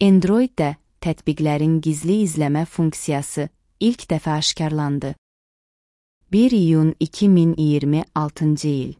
Android-də tətbiqlərin gizli izləmə funksiyası ilk dəfə aşkarlandı. 1 iyun 2026-cı il.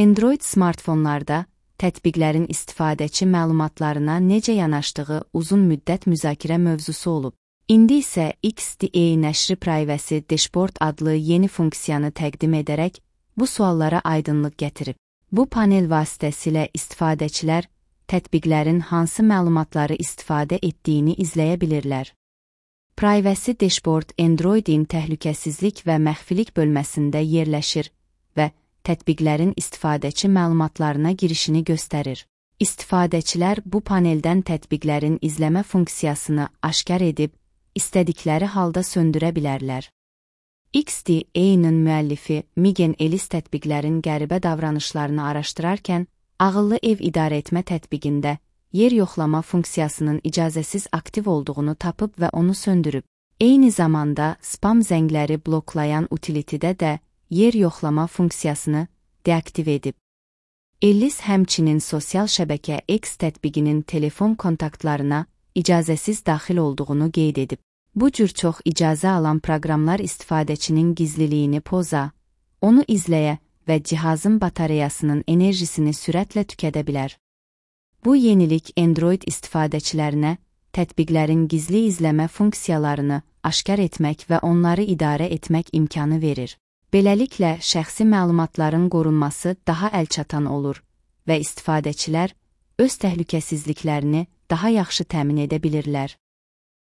Android smartfonlarda tətbiqlərin istifadəçi məlumatlarına necə yanaşdığı uzun müddət müzakirə mövzusu olub. İndi isə XDA nəşri Privacy Dashboard adlı yeni funksiyanı təqdim edərək bu suallara aydınlıq gətirib. Bu panel vasitəsilə istifadəçilər tətbiqlərin hansı məlumatları istifadə etdiyini izləyə bilirlər. Privacy Dashboard Android-in təhlükəsizlik və məxfilik bölməsində yerləşir və tətbiqlərin istifadəçi məlumatlarına girişini göstərir. İstifadəçilər bu paneldən tətbiqlərin izləmə funksiyasını aşkar edib, istədikləri halda söndürə bilərlər. XDA-nın müəllifi Megan Ellis tətbiqlərin qəribə davranışlarını araşdırarkən, ağıllı ev idarəetmə tətbiqində yer yoxlama funksiyasının icazəsiz aktiv olduğunu tapıb və onu söndürüb. Eyni zamanda spam zəngləri bloklayan utilitidə də yer yoxlama funksiyasını deaktiv edib. Ellis həmçinin sosial şəbəkə X tətbiqinin telefon kontaktlarına icazəsiz daxil olduğunu qeyd edib. Bu cür çox icazə alan proqramlar istifadəçinin gizliliyini poza, onu izləyə və cihazın batareyasının enerjisini sürətlə tükədə bilər. Bu yenilik Android istifadəçilərinə tətbiqlərin gizli izləmə funksiyalarını aşkar etmək və onları idarə etmək imkanı verir. Beləliklə, şəxsi məlumatların qorunması daha əlçatan olur və istifadəçilər öz təhlükəsizliklərini daha yaxşı təmin edə bilirlər.